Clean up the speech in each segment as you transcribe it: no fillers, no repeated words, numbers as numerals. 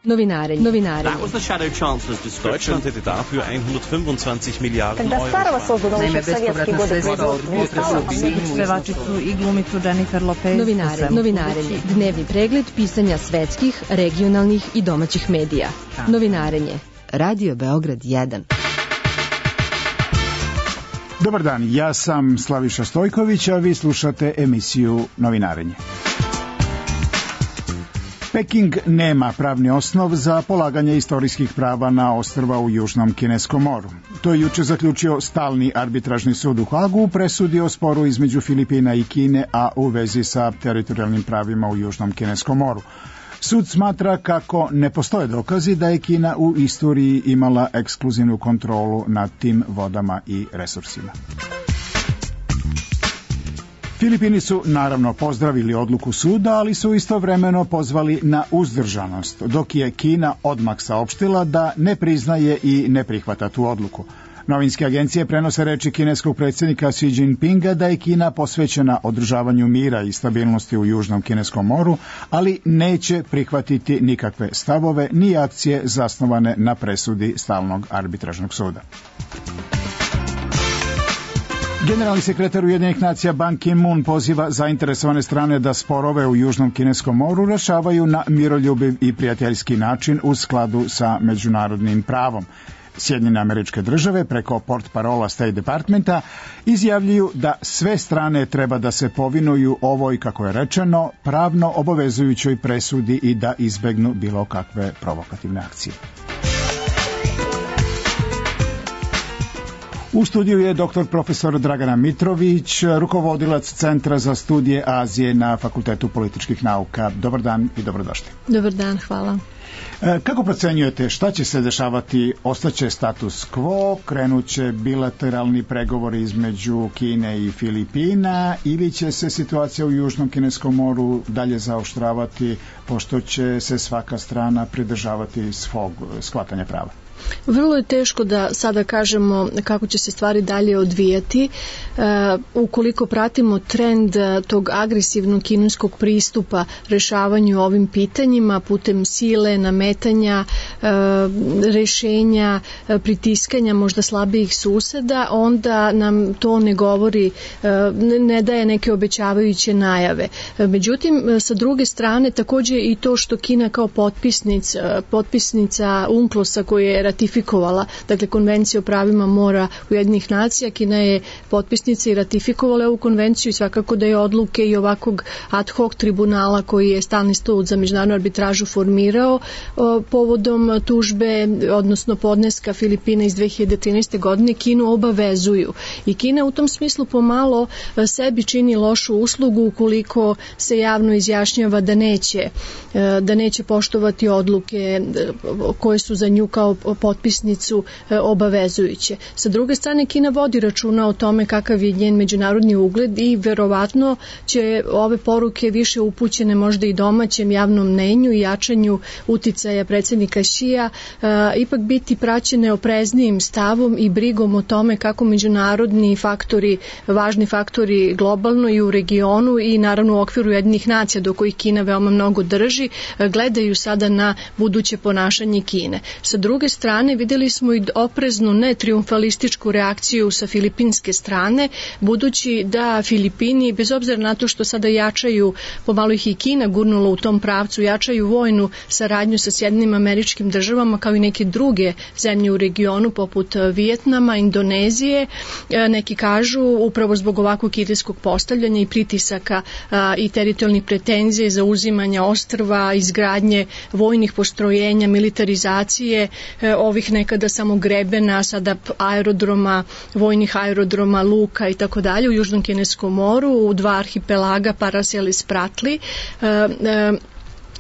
Novinarenje. That was the Shadow Chancellor's description. Deutschland hätte dafür 125 Milijarden Euro. Naime, bespovratna sredstva od pevačicu i glumicu Jennifer Lopez. Novinarenje. Dnevni pregled pisanja svetskih, regionalnih i domaćih medija. Novinarenje. Radio Beograd 1. Dobar dan, ja sam Slaviša Stojković, a vi slušate emisiju Novinarenje. Peking nema pravni osnov za polaganje istorijskih prava na ostrva u Južnom Kineskom moru. To je juče zaključio stalni arbitražni sud u Hagu u presudi o sporu između Filipina i Kine, a u vezi sa teritorijalnim pravima u Južnom Kineskom moru. Sud smatra kako ne postoje dokazi da je Kina u istoriji imala ekskluzivnu kontrolu nad tim vodama i resursima. Filipini su naravno pozdravili odluku suda, ali su istovremeno pozvali na uzdržanost, dok je Kina odmah saopštila da ne priznaje i ne prihvata tu odluku. Novinske agencije prenose reči kineskog predsjednika Xi Jinpinga da je Kina posvećena održavanju mira i stabilnosti u Južnom Kineskom moru, ali neće prihvatiti nikakve stavove ni akcije zasnovane na presudi stalnog arbitražnog suda. Generalni sekretar Ujedinjenih nacija Ban Ki-moon poziva zainteresovane strane da sporove u Južnom Kineskom moru rešavaju na miroljubiv i prijateljski način u skladu sa međunarodnim pravom. Sjedinjene Američke Države preko portparola State Departmenta izjavljuju da sve strane treba da se povinuju ovoj, kako je rečeno, pravno obavezujućoj presudi i da izbegnu bilo kakve provokativne akcije. U studiju je doktor profesor Dragana Mitrović, rukovodilac Centra za studije Azije na Fakultetu političkih nauka. Dobar dan i dobrodošli. Dobar dan, hvala. Kako procenjujete šta će se dešavati? Ostaće status quo, krenuće bilateralni pregovori između Kine i Filipina ili će se situacija u Južnom Kineskom moru dalje zaoštravati pošto će se svaka strana pridržavati svog shvatanja prava? Vrlo je teško da sada kažemo kako će se stvari dalje odvijati. Ukoliko pratimo trend tog agresivnog kineskog pristupa rešavanju ovim pitanjima putem sile, nametanja, rešenja, pritiskanja možda slabijih suseda, onda nam to ne govori, ne daje neke obećavajuće najave. Međutim, sa druge strane, također i to što Kina kao potpisnica UNCLOS-a koji je ratifikovala, dakle Konvencija o pravima mora Ujedinjenih nacija, Kina je potpisnica i ratifikovala ovu konvenciju i svakako da je odluke i ovakvog ad hoc tribunala koji je stalni sud za međunarodnu arbitražu formirao povodom tužbe, odnosno podneska Filipina iz 2013. godine, Kinu obavezuju. I Kina u tom smislu pomalo sebi čini lošu uslugu ukoliko se javno izjašnjava da neće poštovati odluke koje su za nju kao potpisnicu obavezujuće. Sa druge strane, Kina vodi računa o tome kakav je njen međunarodni ugled i verovatno će ove poruke više upućene možda i domaćem javnom mnenju i jačanju uticaja predsjednika Xija ipak biti praćene opreznijim stavom i brigom o tome kako međunarodni faktori, važni faktori globalno i u regionu i naravno u okviru Ujedinjenih nacija do kojih Kina veoma mnogo drži, gledaju sada na buduće ponašanje Kine. Sa druge strane, vidjeli smo i opreznu, ne triumfalističku reakciju sa filipinske strane, budući da Filipini, bez obzira na to što sada jačaju, pomalo ih i Kina gurnula u tom pravcu, jačaju vojnu saradnju sa Sjedinjenim Američkim Državama kao i neke druge zemlje u regionu poput Vijetnama, Indonezije, neki kažu upravo zbog ovakvog kineskog postavljanja i pritisaka i teritorijalnih pretenzija za uzimanja ostrva, izgradnje vojnih postrojenja, militarizacije ovih nekada samo grebena, sada aerodroma, vojnih aerodroma, luka i tako dalje u Južnom Kineskom moru, u 2 arhipelaga Paracel i Spratly.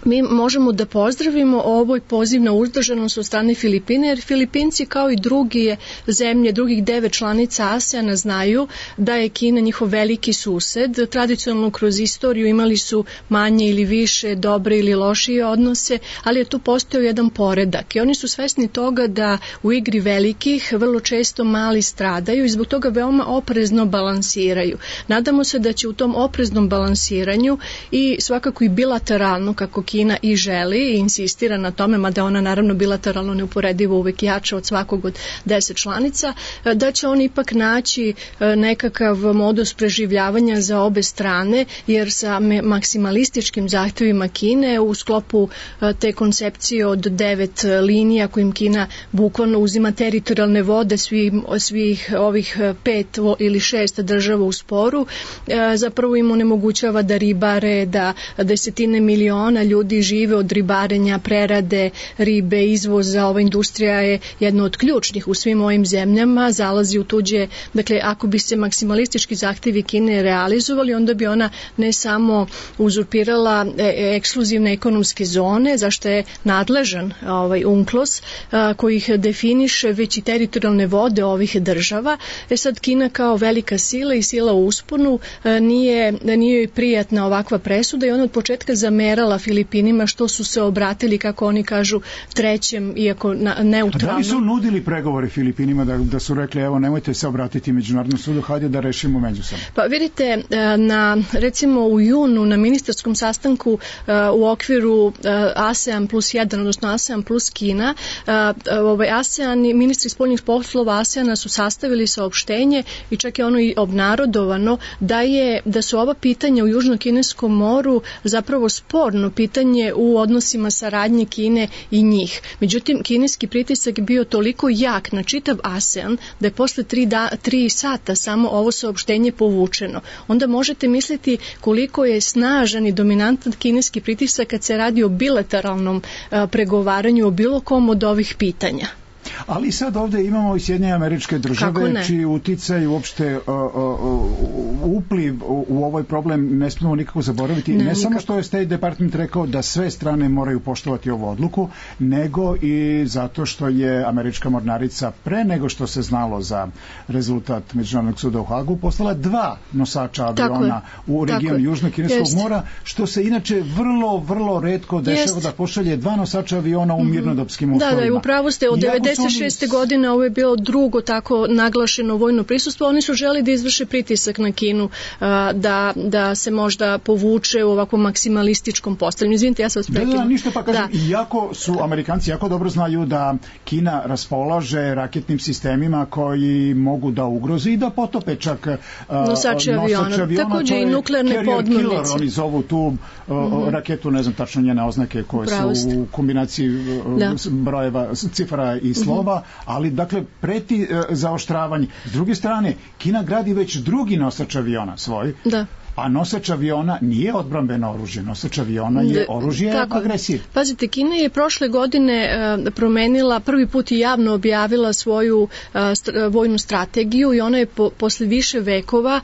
Mi možemo da pozdravimo ovoj poziv na uzdržanost od strane Filipine, jer Filipinci kao i druge zemlje, drugih 9 članica ASEAN-a znaju da je Kina njihov veliki sused. Tradicionalno kroz istoriju imali su manje ili više dobre ili lošije odnose, ali je tu postojao jedan poredak i oni su svesni toga da u igri velikih vrlo često mali stradaju i zbog toga veoma oprezno balansiraju. Nadamo se da će u tom opreznom balansiranju i svakako i bilateralno, kako Kina Kina i želi i insistira na tome, mada ona naravno bilateralno neuporedivo uvek jača od svakog od 10 članica, da će on ipak naći nekakav modus preživljavanja za obe strane, jer sa maksimalističkim zahtevima Kine u sklopu te koncepcije od 9 linija kojim Kina bukvalno uzima teritorijalne vode svih ovih 5 ili 6 država u sporu, zapravo im onemogućava da ribare, da desetine miliona ljudi žive od ribarenja, prerade ribe, izvoza. Ova industrija je jedna od ključnih u svim ovim zemljama, zalazi u tuđe, dakle ako bi se maksimalistički zahtevi Kine realizovali, onda bi ona ne samo uzurpirala ekskluzivne ekonomske zone, zašto je nadležan UNCLOS koji ih definiše, već i teritorijalne vode ovih država. Sad Kina kao velika sila i sila u usponu nije joj prijatna ovakva presuda i ona od početka zamerala Filipinima što su se obratili, kako oni kažu, trećem, iako neutralno. Da li su nudili pregovore Filipinima da su rekli evo nemojte se obratiti Međunarodnom sudu, hajde da rešimo međusobno? Pa vidite, recimo u junu na ministarskom sastanku u okviru ASEAN plus 1, odnosno ASEAN plus Kina, ASEAN i ministri spoljnih poslova ASEANa su sastavili saopštenje i čak je ono i obnarodovano da su ova pitanja u Južno-Kineskom moru zapravo sporno pitanje u odnosima saradnje Kine i njih. Međutim, kineski pritisak je bio toliko jak na čitav ASEAN da je posle 3 sata samo ovo saopštenje povučeno. Onda možete misliti koliko je snažan i dominantan kineski pritisak kad se radi o bilateralnom pregovaranju o bilo kom od ovih pitanja. Ali sad ovdje imamo i Sjedinjene Američke Države čiji uticaj uopšte upliv u ovaj problem ne smemo nikako zaboraviti. Ne samo što je State Department rekao da sve strane moraju poštovati ovu odluku, nego i zato što je američka mornarica pre nego što se znalo za rezultat Međunarodnog suda u Hagu poslala 2 nosača aviona u region Južno-Kineskog mora, što se inače vrlo retko dešava da pošalje 2 nosača aviona u mirnodopskim uslovima. Da, upravo ste, od 96. godine ovo je bilo drugo tako naglašeno vojno prisustvo. Oni su želi da izvrše pritisak na Kinu da se možda povuče u ovakvom maksimalističkom postavljanju. Izvinite, ja sam vas prekinuo. Da, ništa, pa kažem, iako su Amerikanci jako dobro znaju da Kina raspolaže raketnim sistemima koji mogu da ugroze i da potope čak nosače aviona. Takođe i nuklearne podmornice. Oni zovu tu raketu, ne znam tačno njene oznake koje su u kombinaciji brojeva, cifara i slova, ali dakle preti zaoštravanje. S druge strane, Kina gradi već drugi nosač aviona svoj, a nosač aviona nije odbrambeno oružje, nosač aviona je oružje agresije. Pazite, Kina je prošle godine promenila, prvi put i javno objavila svoju vojnu strategiju i ona je posle više vekova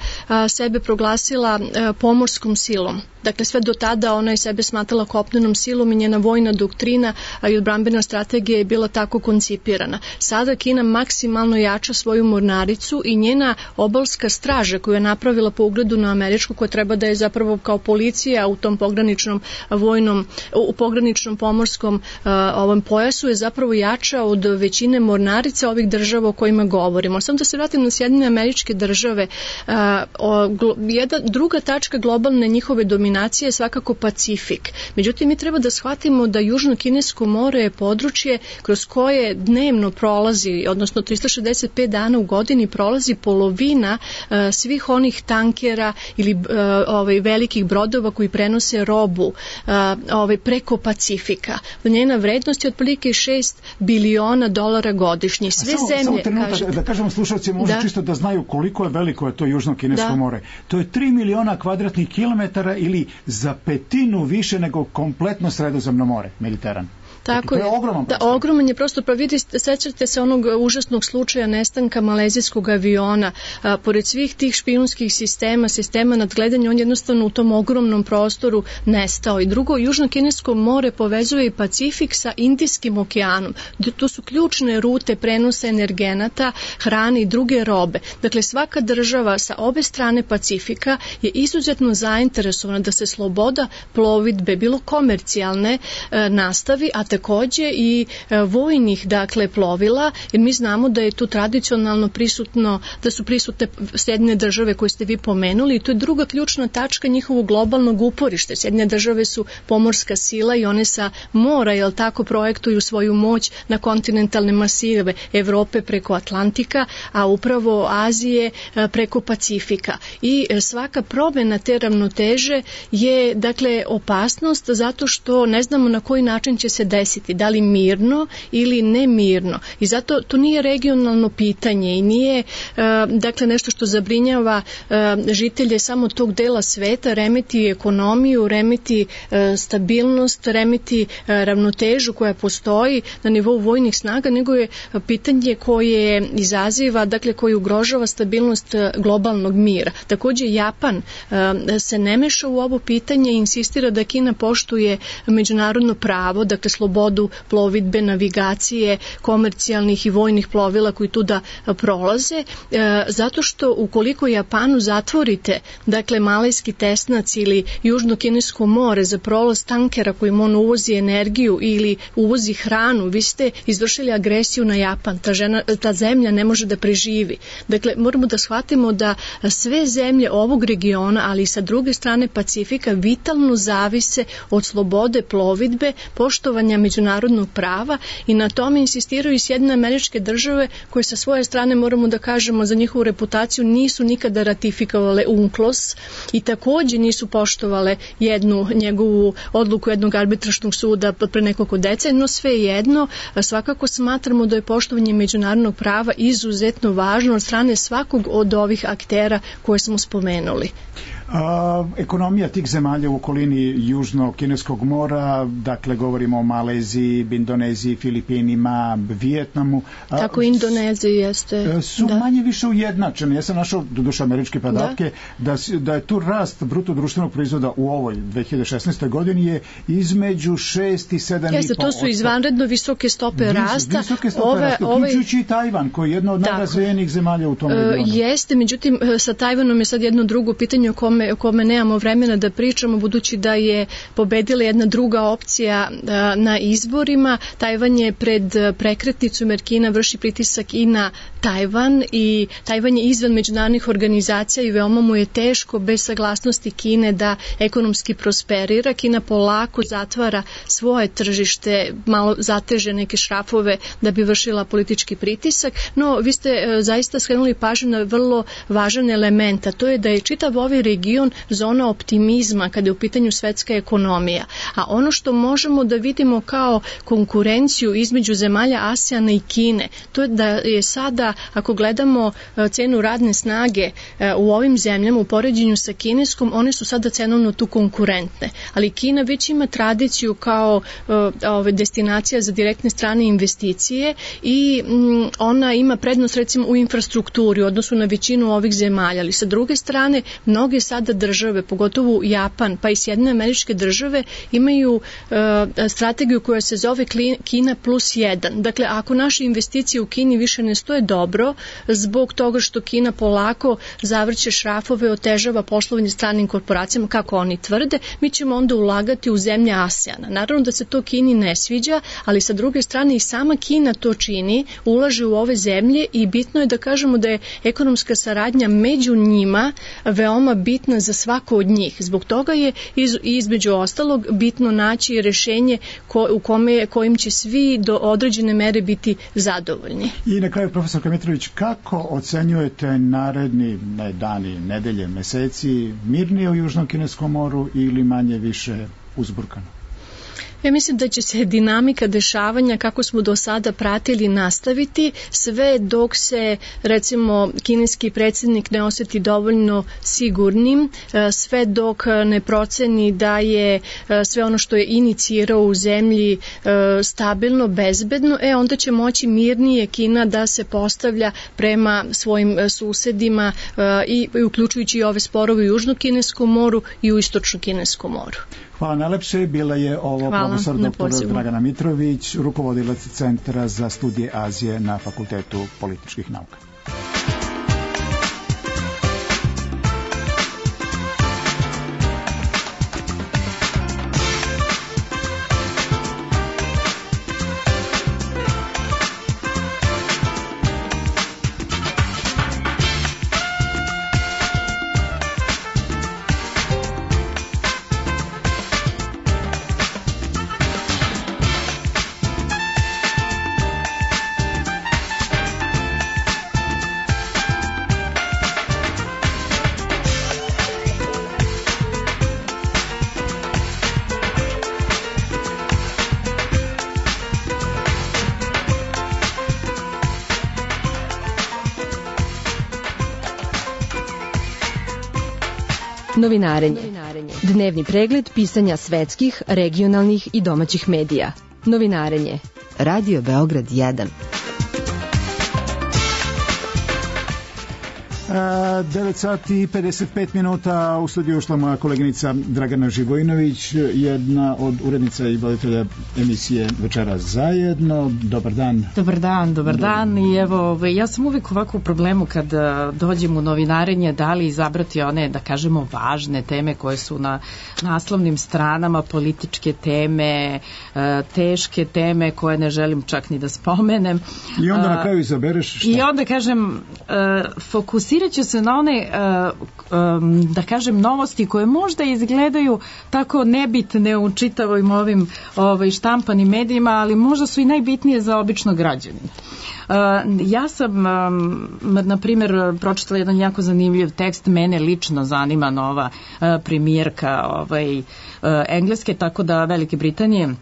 sebe proglasila pomorskom silom. Dakle, sve do tada ona je sebe smatrala kopnenom silom i njena vojna doktrina i odbrambena strategija je bila tako koncipirana. Sada Kina maksimalno jača svoju mornaricu i njena obalska straža koju je napravila po ugledu na američku, koja treba da je zapravo kao policija u tom pograničnom u pograničnom pomorskom ovom pojasu je zapravo jača od većine mornarica ovih država o kojima govorimo. Samo da se vratim na Sjedinjene Američke Države, druga tačka globalne njihove dominacije je svakako Pacifik. Međutim, mi treba da shvatimo da Južno-Kinesko more je područje kroz koje dnevno prolazi, odnosno 365 dana u godini prolazi polovina svih onih tankera ili velikih brodova koji prenose robu preko Pacifika. Njena vrednost je otprilike $6 biliona godišnje. Sve zemlje, da kažemo slušalcima, možda čisto da znaju koliko je veliko je to Južno-Kinesko more. To je 3 miliona kvadratnih kilometara ili za 1/5 više nego kompletno Sredozemno more, Mediteran. Tako je, ogroman je prosto, pa vidite, sećate se onog užasnog slučaja nestanka malezijskog aviona, pored svih tih špijunskih sistema nadgledanja, on jednostavno u tom ogromnom prostoru nestao. I drugo, Južno-Kinesko more povezuje i Pacifik sa Indijskim okeanom. To su ključne rute prenosa energenata, hrane i druge robe. Dakle, svaka država sa obe strane Pacifika je izuzetno zainteresovana da se sloboda plovidbe, bilo komercijalne, nastavi, a takođe i vojnih dakle plovila, jer mi znamo da je tu tradicionalno prisutno, da su prisutne Sjedinjene države koje ste vi pomenuli i to je druga ključna tačka njihovog globalnog uporišta. Sjedinjene države su pomorska sila i one sa mora, jel tako, projektuju svoju moć na kontinentalne masive Evrope preko Atlantika, a upravo Azije preko Pacifika. I svaka promjena te ravnoteže je dakle opasnost zato što ne znamo na koji način će se desiti, da li mirno ili nemirno. I zato to nije regionalno pitanje i nije dakle nešto što zabrinjava žitelje samo tog dela sveta, remeti ekonomiju, remeti stabilnost, remeti ravnotežu koja postoji na nivou vojnih snaga, nego je pitanje koje izaziva, dakle koje ugrožava stabilnost globalnog mira. Takođe Japan se ne meša u ovo pitanje i insistira da Kina poštuje međunarodno pravo, dakle slobodu plovidbe, navigacije, komercijalnih i vojnih plovila koji tu da prolaze, zato što ukoliko Japanu zatvorite, dakle Malajski tesnac ili Južno-Kinesko more za prolaz tankera kojim on uvozi energiju ili uvozi hranu, vi ste izvršili agresiju na Japan, ta zemlja ne može da preživi. Dakle, moramo da shvatimo da sve zemlje ovog regiona, ali i sa druge strane Pacifika, vitalno zavise od slobode plovidbe, poštovanja međunarodnog prava i na tome insistiraju i Sjedinjene Američke Države koje sa svoje strane, moramo da kažemo, za njihovu reputaciju nisu nikada ratifikovale UNCLOS i takođe nisu poštovale njegovu odluku jednog arbitražnog suda pre nekoliko decenija, no svejedno svakako smatramo da je poštovanje međunarodnog prava izuzetno važno od strane svakog od ovih aktera koje smo spomenuli. Ekonomija tih zemalja u okolini Južno-Kineskog mora, dakle govorimo o Maleziji, Indoneziji, Filipinima, Vijetnamu. Tako Indoneziji jeste. Su manje više ujednačene. Ja sam našao, doduše američke podatke, da je tu rast bruto društvenog proizvoda u ovoj 2016. godini je između 6 i 7,5%. Jeste, to su izvanredno visoke stope rasta. Visoke stope rasta, uključujući i Tajvan, koji je jedno od najrazvijenijih zemalja u tom regionu. Jeste, međutim, sa Tajvanom je sad jedno drugo pitanje o kome nemamo vremena da pričamo, budući da je pobedila jedna druga opcija na izborima. Tajvan je pred prekretnicom jer Kina vrši pritisak i na Tajvan i Tajvan je izvan međunarodnih organizacija i veoma mu je teško bez saglasnosti Kine da ekonomski prosperira. Kina polako zatvara svoje tržište, malo zateže neke šrafove da bi vršila politički pritisak, no vi ste zaista skrenuli pažnju na vrlo važan element, a to je da je čitav ovaj region zona optimizma kada je u pitanju svetska ekonomija. A ono što možemo da vidimo kao konkurenciju između zemalja ASEANA i Kine, to je da je sada, ako gledamo cenu radne snage u ovim zemljama u poređenju sa kineskom, one su sada cenovno tu konkurentne. Ali Kina već ima tradiciju kao destinacija za direktne strane investicije i ona ima prednost recimo u infrastrukturi u odnosu na većinu ovih zemalja. Ali sa druge strane, mnoge sada države, pogotovo Japan, pa i Sjedinjene Američke Države, imaju strategiju koja se zove Kina plus 1. Dakle, ako naše investicije u Kini više ne stoje dobro, zbog toga što Kina polako zavrće šrafove, otežava poslovanje stranim korporacijama, kako oni tvrde, mi ćemo onda ulagati u zemlje ASEANA. Naravno da se to Kini ne sviđa, ali sa druge strane i sama Kina to čini, ulaže u ove zemlje i bitno je da kažemo da je ekonomska saradnja među njima veoma bitna za svako od njih. Zbog toga je između ostalog bitno naći rešenje kojim će svi do određene mere biti zadovoljni. I na kraju, profesor Mitrović, kako ocenjujete naredni dani, nedelje, meseci, mirnije u Južnom Kineskom moru ili manje više uzburkano? Ja mislim da će se dinamika dešavanja kako smo do sada pratili nastaviti sve dok se recimo kineski predsjednik ne osjeti dovoljno sigurnim, sve dok ne proceni da je sve ono što je inicirao u zemlji stabilno, bezbedno, onda će moći mirnije Kina da se postavlja prema svojim susedima i uključujući i ove sporove u Južnom Kineskom moru i u Istočnom Kineskom moru. Hvala najlepše. Bila je ovo profesor dr. Dragana Mitrović, rukovodilac Centra za studije Azije na Fakultetu političkih nauka. Novinarenje. Dnevni pregled pisanja svetskih, regionalnih i domaćih medija. Novinarenje. Radio Beograd 1. 9 sati i 55 minuta, u studiju ušla moja koleginica Dragana Živojinović, jedna od urednica i voditelja emisije Večeras zajedno. Dobar dan. Dobar dan. I evo, ja sam uvijek ovako u problemu kad dođem u novinarenje, da li izabrati one, da kažemo, važne teme koje su na naslovnim stranama, političke teme, teške teme koje ne želim čak ni da spomenem. I onda na kraju izabereš šta? I onda kažem, fokusirat ću se na one, da kažem, novosti koje možda izgledaju tako nebitne u čitavim ovim štampanim medijima, ali možda su i najbitnije za običnog građanina. Ja sam, na primjer, pročitala jedan jako zanimljiv tekst, mene lično zanima nova premijerka Engleske, tako da Velike Britanije.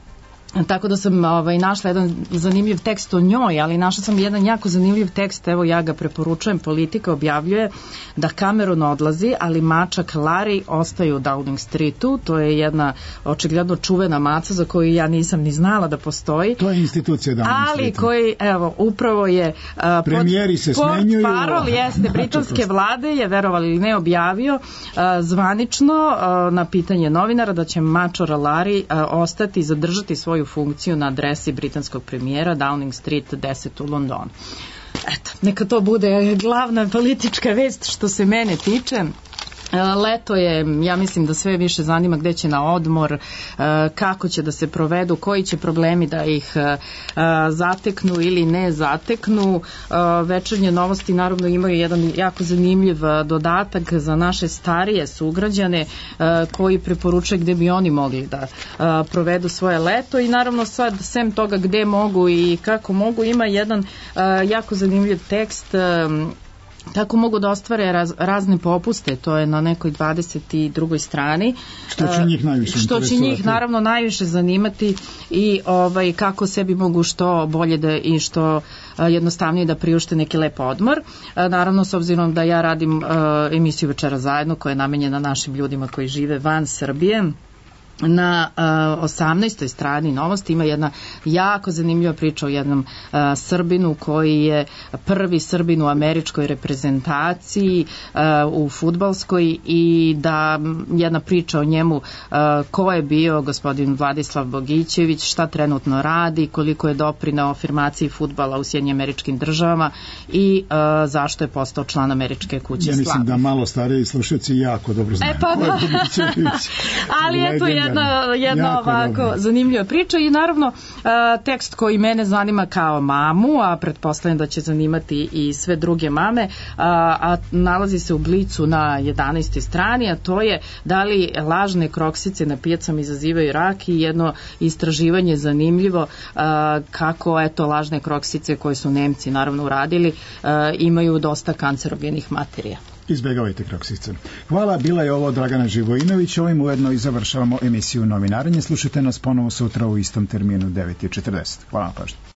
Tako da sam našla jedan zanimljiv tekst o njoj, ali našla sam jedan jako zanimljiv tekst, evo ja ga preporučujem. Politika objavljuje da Cameron odlazi, ali mačak Larry ostaje u Downing Streetu. To je jedna očigledno čuvena maca za koju ja nisam ni znala da postoji. To je institucija Downing Streetu. Ali koji, evo, upravo je premijeri se smenjuju. Parol jeste britanske vlade je, verovali ili ne, objavio zvanično na pitanje novinara da će mačor Larry ostati i zadržati svoju funkciju na adresi britanskog premijera Downing Street 10 u Londonu. Eto, neka to bude glavna politička vest što se mene tiče. Leto je, ja mislim da sve više zanima gde će na odmor, kako će da se provedu, koji će problemi da ih zateknu ili ne zateknu. Večernje novosti naravno imaju jedan jako zanimljiv dodatak za naše starije sugrađane koji preporučuje gde bi oni mogli da provedu svoje leto i naravno sad sem toga gde mogu i kako mogu ima jedan jako zanimljiv tekst kako mogu da ostvare razne popuste, to je na nekoj 22. strani. Što će njih najviše interesovati? Što će njih naravno najviše zanimati i kako sebi mogu što bolje da i što jednostavnije da priušte neki lep odmor. Naravno, s obzirom da ja radim emisiju Večeras zajedno koja je namenjena našim ljudima koji žive van Srbije, na 18. strani novosti ima jedna jako zanimljiva priča o jednom Srbinu koji je prvi Srbin u američkoj reprezentaciji u fudbalskoj i da jedna priča o njemu ko je bio gospodin Vladislav Bogićević, šta trenutno radi, koliko je doprineo afirmaciji fudbala u Sjedinjenim Američkim Državama i zašto je postao član Američke kuće slave. Ja mislim da malo stariji slušalci jako dobro znaju ko je Bogićević. Ali eto jedna ovako zanimljiva priča i naravno tekst koji mene zanima kao mamu, a pretpostavljam da će zanimati i sve druge mame, a nalazi se u Blicu na 11. strani, a to je da li lažne kroksice na pijacama izazivaju rak i jedno istraživanje zanimljivo kako lažne kroksice koje su Nemci naravno uradili imaju dosta kancerogenih materija. Izbjegavajte kroksice. Hvala, bila je ovo Dragana Živojinović. Ovim ujedno i završavamo emisiju Novinarenje. Slušajte nas ponovo sutra u istom terminu 9:40. Hvala na pažnju.